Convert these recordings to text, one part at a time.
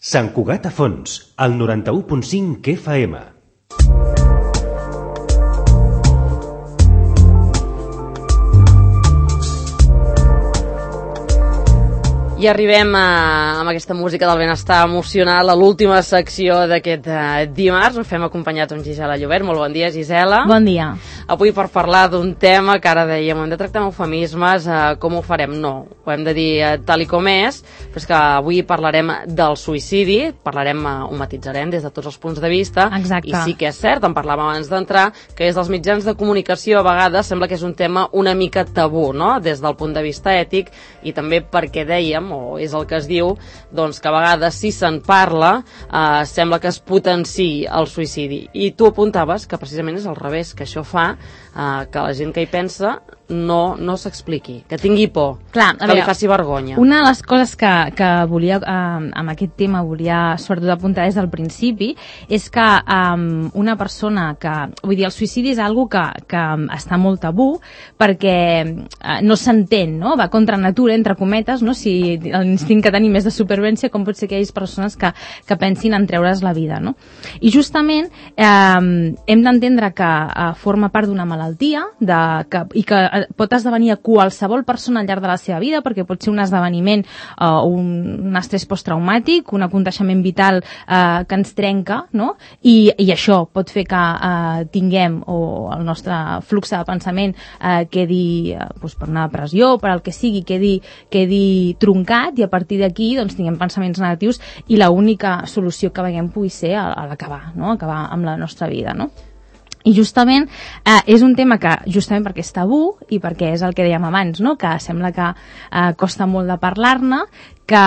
Sant Cugat a Fons, al 91.5 FM. I arribem amb aquesta música del benestar emocional a l'última secció d'aquest dimarts. Ens fem acompanyats amb Gisela Llobert. Molt bon dia, Gisela. Bon dia. Avui per parlar d'un tema que ara dèiem, hem de tractar amb eufemismes, com ho farem? No, ho hem de dir tal i com és, però és que avui parlarem del suïcidi, ho matitzarem des de tots els punts de vista. Exacte. I sí que és cert, en parlàvem abans d'entrar, que és dels mitjans de comunicació a vegades sembla que és un tema una mica tabú, no?, des del punt de vista ètic, i també perquè dèiem, o és el que es diu, doncs que a vegades si se'n parla sembla que es potenciï el suïcidi. I tu apuntaves que precisament és al revés, que això fa que la gent que hi pensa no s'expliqui, que tingui por, que li faci vergonya. Una de les coses que volia, amb aquest tema, volia sobretot apuntar des del principi, és que una persona que... Vull dir, el suïcidi és algo que està molt tabú, perquè no s'entén, no? Va contra natura, entre cometes, no? Si l'instint que tenim és de supervivència, com pot ser que hi hagi persones que pensin en treure's la vida, no? I justament hem d'entendre que forma part d'una malaltia i que pot esdevenir a qualsevol persona al llarg de la seva vida, perquè pot ser un esdeveniment, un estrès posttraumàtic, un aconteixement vital que ens trenca, no? I això pot fer que tinguem, o el nostre flux de pensament quedi per una depressió, per al que sigui, quedi truncat, i a partir d'aquí doncs, tinguem pensaments negatius, i l'única solució que veiem pugui ser l'acabar, no? Acabar amb la nostra vida, no? I justament és un tema que, justament perquè és tabú i perquè és el que dèiem abans, no? Que sembla que costa molt de parlar-ne, que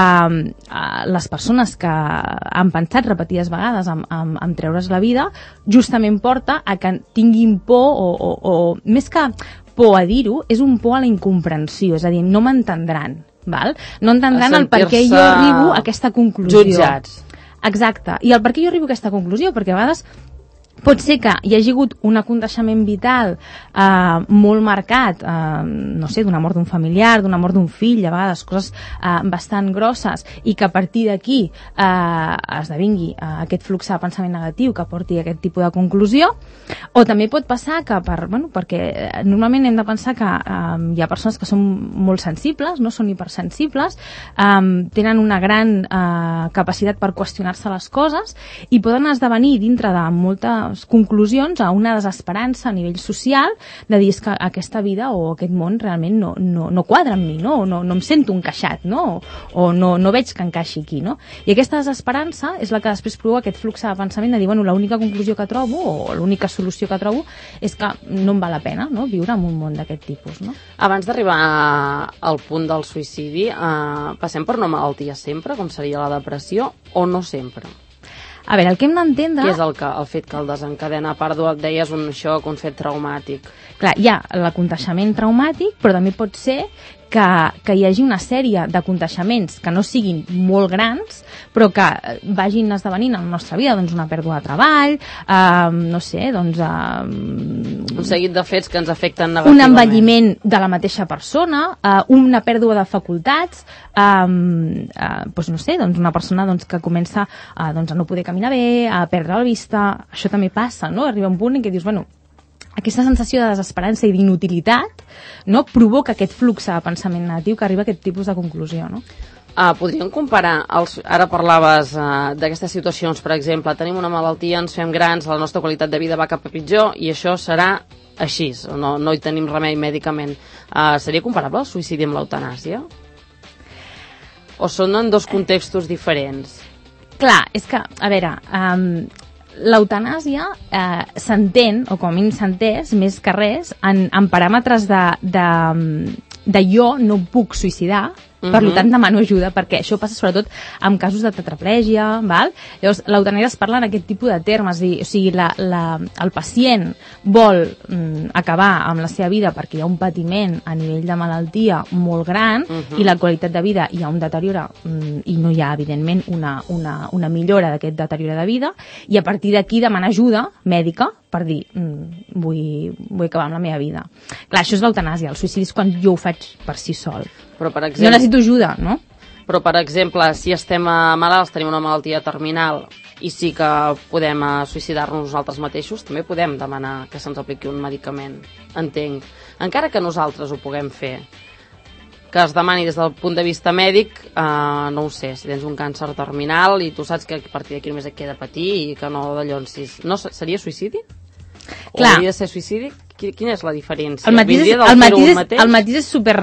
les persones que han pensat repetides vegades en treure's la vida, justament porta a que tinguin por, o més que por a dir-ho, és un por a la incomprensió, és a dir, no m'entendran, val? No entendran el per què jo arribo a aquesta conclusió. Jutjats. Exacte. I el per què jo arribo a aquesta conclusió? Perquè a vegades pot ser que hi hagi hagut un aconteixement vital molt marcat, no sé, d'una mort d'un familiar, d'una mort d'un fill, a vegades coses bastant grosses, i que a partir d'aquí esdevingui aquest flux de pensament negatiu que porti a aquest tipus de conclusió. O també pot passar que, perquè normalment hem de pensar que hi ha persones que són molt sensibles, no són hipersensibles, tenen una gran capacitat per qüestionar-se les coses, i poden esdevenir dintre de moltes conclusions a una desesperança a nivell social de dir que aquesta vida o aquest món realment no quadra amb mi, no em sento encaixat, no? O no veig que encaixi aquí, no? I aquesta desesperança és la que després provoca aquest flux de pensament de dir, l'única conclusió que trobo o l'única solució que trobo és que no em val la pena, no?, viure en un món d'aquest tipus, no? Abans d'arribar al punt del suïcidi, passem per una malaltia sempre, com seria la depressió, o no sempre? A veure, el que hem d'entendre... Què és el fet que el desencadena? A part, deies un xoc, un fet traumàtic. Clar, hi ha l'aconteixement traumàtic, però també pot ser que hi hagi una sèrie d'aconteixements que no siguin molt grans, però que vagin esdevenint en la nostra vida, doncs una pèrdua de treball, no sé, doncs... un seguit de fets que ens afecten negativament. Un envelliment de la mateixa persona, una pèrdua de facultats, doncs no sé, doncs una persona que comença a no poder caminar bé, a perdre la vista, això també passa, no? Arriba un punt en què dius, aquesta sensació de desesperança i d'inutilitat, no, provoca aquest flux de pensament negatiu que arriba a aquest tipus de conclusió, no? Podríem comparar, ara parlaves d'aquestes situacions, per exemple, tenim una malaltia, ens fem grans, la nostra qualitat de vida va cap a pitjor i això serà així, no hi tenim remei mèdicament. Seria comparable el suïcidi amb l'eutanàsia? O són en dos contextos diferents? Clar, és que, a veure... L'eutanàsia s'entén, o com a mínim s'ha entès, més que res, en paràmetres de jo no puc suïcidar, per tant demano ajuda, perquè això passa sobretot en casos de tetraplègia, val? Llavors l'eutanàsia es parla en aquest tipus de termes, o sigui, el pacient vol acabar amb la seva vida perquè hi ha un patiment a nivell de malaltia molt gran, i la qualitat de vida hi ha un deteriora, i no hi ha evidentment una millora d'aquest deteriora de vida, i a partir d'aquí demana ajuda mèdica per dir, vull acabar amb la meva vida. Clar, això és l'eutanàsia, el suïcidi és quan jo ho faig per si sol. Però, per exemple... Jo necessito ajuda, no? Però, per exemple, si estem malalts, tenim una malaltia terminal i sí que podem suïcidar-nos nosaltres mateixos, també podem demanar que se'ns apliqui un medicament, entenc. Encara que nosaltres ho puguem fer, que es demani des del punt de vista mèdic, no ho sé, si tens un càncer terminal i tu saps que a partir d'aquí només et queda patir i que no dallonsis. No, seria suïcidi? O hauria de ser suïcidi? Quina és la diferència? El matís és super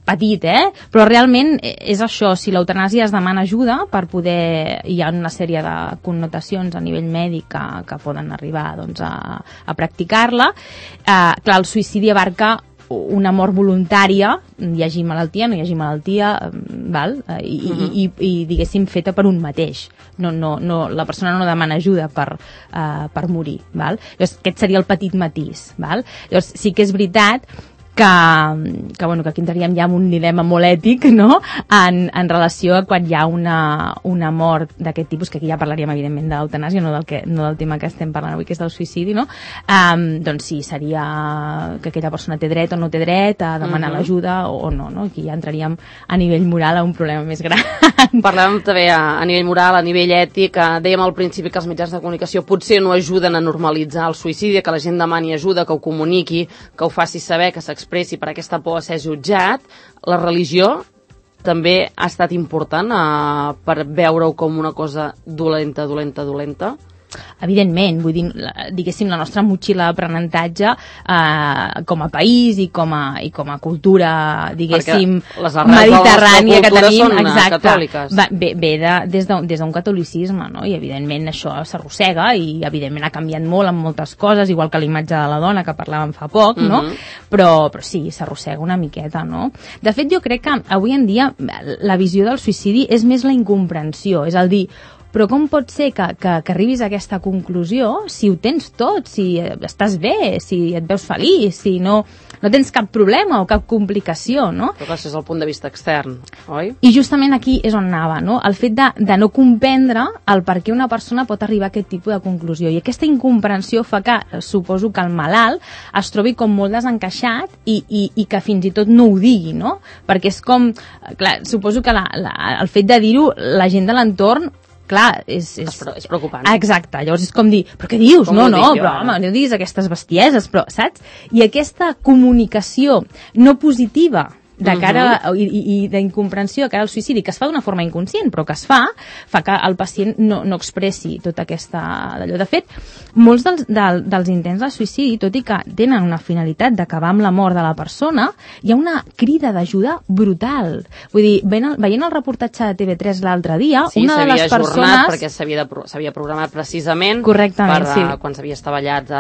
petit, però realment és això, si l'eutanàsia es demana ajuda per poder, hi ha una sèrie de connotacions a nivell mèdic que poden arribar doncs, a practicar-la, clar, el suïcidi abarca una mort voluntària, hi hagi malaltia, no hi hagi malaltia, val? I diguéssim feta per un mateix. No, la persona no demana ajuda per morir. Val? Llavors, aquest seria el petit matís. Val? Llavors, sí que és veritat que aquí entraríem ja en un dilema molt ètic, no? en relació a quan hi ha una mort d'aquest tipus, que aquí ja parlaríem evidentment de l'eutanàsia, no del tema que estem parlant avui, que és del suïcidi, no? Doncs sí, seria que aquella persona té dret o no té dret a demanar l'ajuda o no, no? Aquí ja entraríem a nivell moral a un problema més gran. Parlàvem també a nivell moral, a nivell ètic, dèiem al principi que els mitjans de comunicació potser no ajuden a normalitzar el suïcidi, que la gent demani ajuda, que ho comuniqui, que ho faci saber, que s'expressi per aquesta por a ser jutjat. La religió també ha estat important per veure-ho com una cosa dolenta. Evidentment, vull dir, diguéssim, la nostra motxilla d'aprenentatge com a país i com a cultura, diguéssim, mediterrània que tenim, catòliques. Ve des d'un catolicisme, no? I evidentment això s'arrossega i evidentment ha canviat molt en moltes coses, igual que la imatge de la dona que parlàvem fa poc, no? Però sí, s'arrossega una miqueta, no? De fet, jo crec que avui en dia la visió del suïcidi és més la incomprensió, és a dir, però com pot ser que arribis a aquesta conclusió si ho tens tot, si estàs bé, si et veus feliç, si no tens cap problema o cap complicació, no? Però això és el punt de vista extern, oi? I justament aquí és on anava, no? El fet de no comprendre el per què una persona pot arribar a aquest tipus de conclusió. I aquesta incomprensió fa que, suposo que el malalt es trobi com molt desencaixat i que fins i tot no ho digui, no? Perquè és com, clar, suposo que el fet de dir-ho, la gent de l'entorn clar, és preocupant. Exacte, llavors és com dir, però què dius? No, però home, no diguis aquestes bestieses, però, saps? I aquesta comunicació no positiva de cara i d'incomprensió de cara al suïcidi, que es fa d'una forma inconscient, però que es fa que el pacient no expressi tota aquesta d'allò. De fet, molts dels intents de suïcidi, tot i que tenen una finalitat d'acabar amb la mort de la persona, hi ha una crida d'ajuda brutal. Vull dir, veient el reportatge de TV3 l'altre dia, una de les persones... Sí, s'havia ajornat perquè s'havia programat precisament quan s'havia estavellat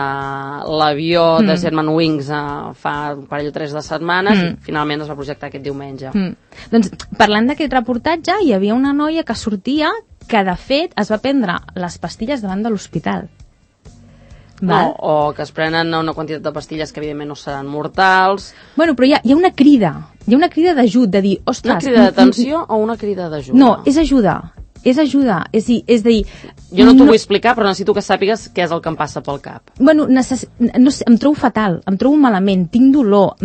l'avió de Germanwings fa un parell o 3 de setmanes i finalment es va projectar aquest diumenge. Doncs parlant d'aquest reportatge hi havia una noia que sortia que de fet es va prendre les pastilles davant de l'hospital. O que es prenen una quantitat de pastilles que evidentment no seran mortals. Bueno, però hi ha una crida. Hi ha una crida d'ajut, de dir, ostres... Una crida d'atenció o una crida d'ajuda? No, és ajuda. És ajuda, és a dir... Jo no t'ho vull explicar, però necessito que sàpigues què és el que em passa pel cap. Bueno, no sé, em trobo fatal, em trobo malament, tinc dolor,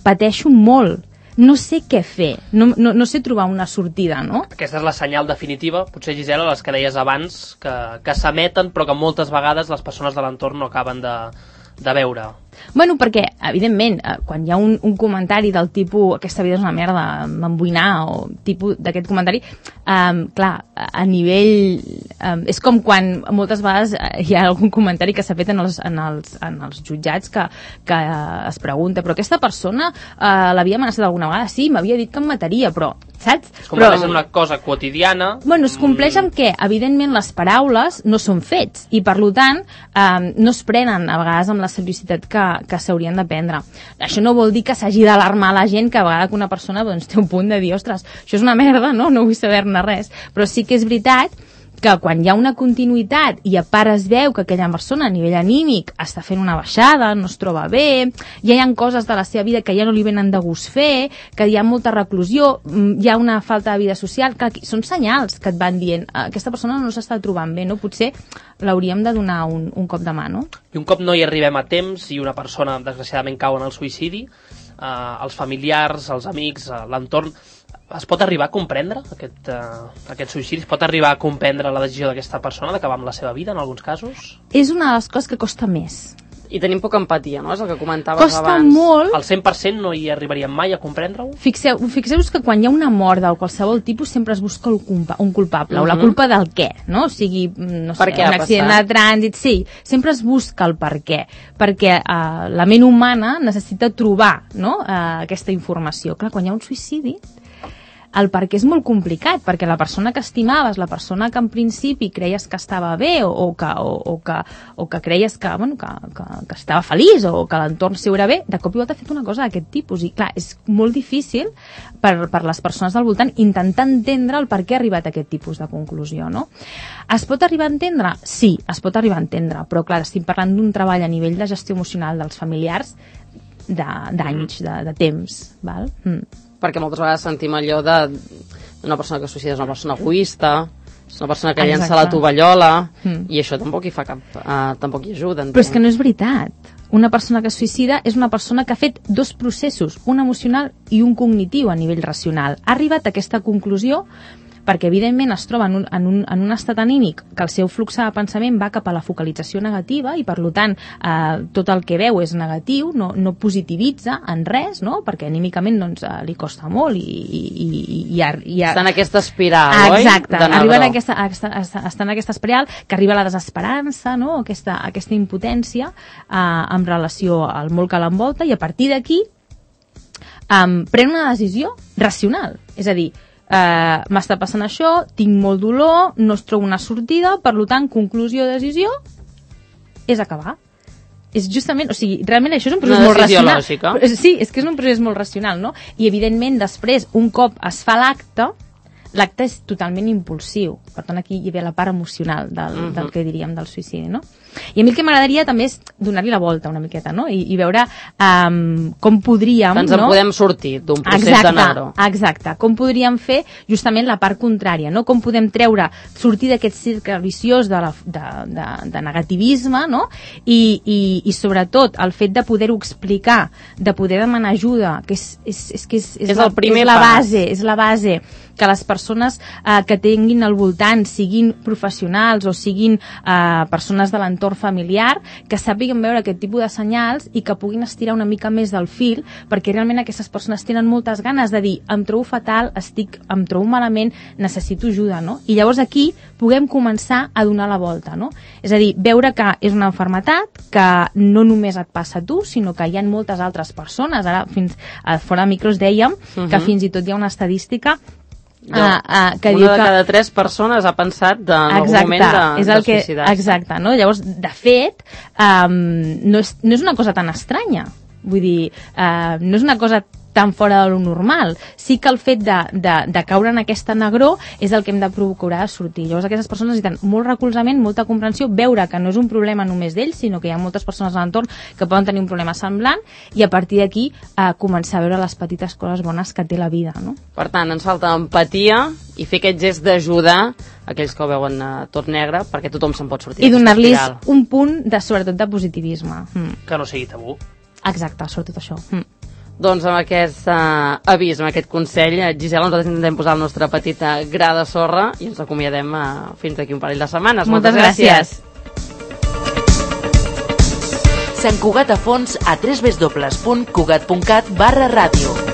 pateixo molt. No sé què fer, no sé trobar una sortida, no? Aquesta és la senyal definitiva, potser, Gisela, les que deies abans, que s'emeten, però que moltes vegades les persones de l'entorn no acaben de veure. Bueno, perquè, evidentment, quan hi ha un comentari del tipus aquesta vida és una merda, m'emboinar, o tipus d'aquest comentari, clar, a nivell... és com quan moltes vegades hi ha algun comentari que s'ha fet en els jutjats que es pregunta, però aquesta persona l'havia amenaçat alguna vegada? Sí, m'havia dit que em mataria, però, saps? Es compleix amb una cosa quotidiana. Bueno, es compleix amb què? Evidentment, les paraules no són fets, i per tant, no es prenen a vegades amb la seriositat que s'haurien de prendre. Això no vol dir que s'hagi d'alarmar la gent que a vegades una persona té un punt de dir, ostres, això és una merda, no vull saber-ne res. Però sí que és veritat que quan hi ha una continuïtat i a part es veu que aquella persona a nivell anímic està fent una baixada, no es troba bé, ja hi ha coses de la seva vida que ja no li venen de gust fer, que hi ha molta reclusió, hi ha una falta de vida social, que són senyals que et van dient aquesta persona no s'està trobant bé, no? Potser l'hauríem de donar un cop de mà, no? I un cop no hi arribem a temps i una persona desgraciadament cau en el suïcidi, els familiars, els amics, l'entorn es pot arribar a comprendre aquest suïcidi? Es pot arribar a comprendre la decisió d'aquesta persona d'acabar amb la seva vida, en alguns casos? És una de les coses que costa més. I tenim poca empatia, no? És el que comentaves Costa abans. molt. Al 100% no hi arribaríem mai a comprendre-ho? Fixeu-vos que quan hi ha una mort de qualsevol tipus sempre es busca un culpable, o la culpa del què, no? O sigui, no sé, un accident de trànsit, sí, sempre es busca el per què, perquè la ment humana necessita trobar, no? Aquesta informació. Clar, quan hi ha un suïcidi, el per què és molt complicat, perquè la persona que estimaves, la persona que en principi creies que estava bé o que creies que estava feliç o que l'entorn seu era bé, de cop i volta ha fet una cosa d'aquest tipus. I clar, és molt difícil per les persones del voltant intentar entendre el per què ha arribat a aquest tipus de conclusió, no? Es pot arribar a entendre? Sí, es pot arribar a entendre, però clar, estic parlant d'un treball a nivell de gestió emocional dels familiars d'anys, de temps, val? Perquè moltes vegades sentim allò d'una persona que es suïcida és una persona egoista, és una persona que llença la tovallola, i això tampoc hi fa tampoc hi ajuda. Però és que no és veritat. Una persona que es suïcida és una persona que ha fet dos processos, un emocional i un cognitiu a nivell racional. Ha arribat a aquesta conclusió perquè evidentment es troba en un estat anímic que el seu flux de pensament va cap a la focalització negativa i per tant tot el que veu és negatiu, no positivitza en res, no? Perquè anímicament doncs, li costa molt i està en aquesta espiral, oi? Exacte, està en aquesta espiral que arriba a la desesperança, no? Aquesta impotència en relació al món que l'envolta, i a partir d'aquí pren una decisió racional, és a dir, m'està passant això, tinc molt dolor, no es trobo una sortida, per tant, conclusió, decisió, és acabar. És justament, o sigui, realment això és un procés molt racional. Lògica. Sí, és que és un procés molt racional, no? I evidentment després, un cop es fa l'acte és totalment impulsiu. Per tant, aquí hi ve la part emocional del que diríem del suïcidi, no? I a mi el que m'agradaria també és donar-li la volta una miqueta, no? I veure com podríem... Ens en podem sortir d'un procés d'anar-ho. Exacte. Com podríem fer justament la part contrària, no? Com podem sortir d'aquest cercle viciós de negativisme, no? I sobretot el fet de poder-ho explicar, de poder demanar ajuda, que és el primer pas. És la base que les persones que tinguin al voltant siguin professionals o siguin persones de l'entorn familiar, que sàpiguen veure aquest tipus de senyals i que puguin estirar una mica més del fil, perquè realment aquestes persones tenen moltes ganes de dir, em trobo fatal, em trobo malament, necessito ajuda, no? I llavors aquí puguem començar a donar la volta, no? És a dir, veure que és una malaltia que no només et passa a tu, sinó que hi ha moltes altres persones. Ara, fins fora de micros dèiem que fins i tot hi ha una estadística que diu que... Una de cada 3 persones ha pensat en algun moment de suïcidar-se. Exacte, no? Llavors, de fet, no és una cosa tan estranya. Vull dir, no és una cosa tan fora de lo normal. Sí que el fet de caure en aquesta negró és el que hem de procurar sortir. Llavors aquestes persones necessiten molt recolzament, molta comprensió, veure que no és un problema només d'ells, sinó que hi ha moltes persones a l'entorn que poden tenir un problema semblant, i a partir d'aquí començar a veure les petites coses bones que té la vida, no? Per tant, ens falta empatia i fer aquest gest d'ajudar aquells que ho veuen tot negre, perquè tothom se'n pot sortir. I donar-los un punt sobretot de positivisme. Que no sigui tabú. Exacte, sobretot això. Doncs amb aquest avís, amb aquest consell, Gisela, nosaltres intentem posar el nostre petit gra de sorra i ens acomiadem fins d'aquí un parell de setmanes. Moltes gràcies. Sant Cugat a fons a www.cugat.cat/ràdio.